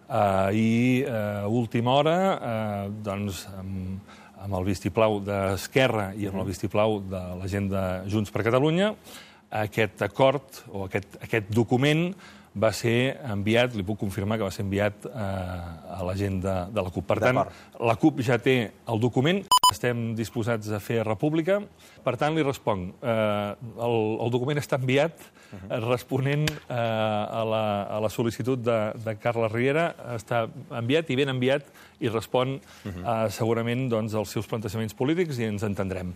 I a última hora, doncs, amb el vistiplau d'Esquerra i amb el vistiplau de la gent de Junts per Catalunya, aquest acord o aquest document va ser enviat, li puc confirmar que va ser enviat a la gent de la CUP. Per tant, la CUP ja té el document, estem disposats a fer república. Per tant, li responc, el document està enviat responent a la sol·licitud de Carles Riera, està enviat i ben enviat i respon segurament als seus plantejaments polítics i ens entendrem.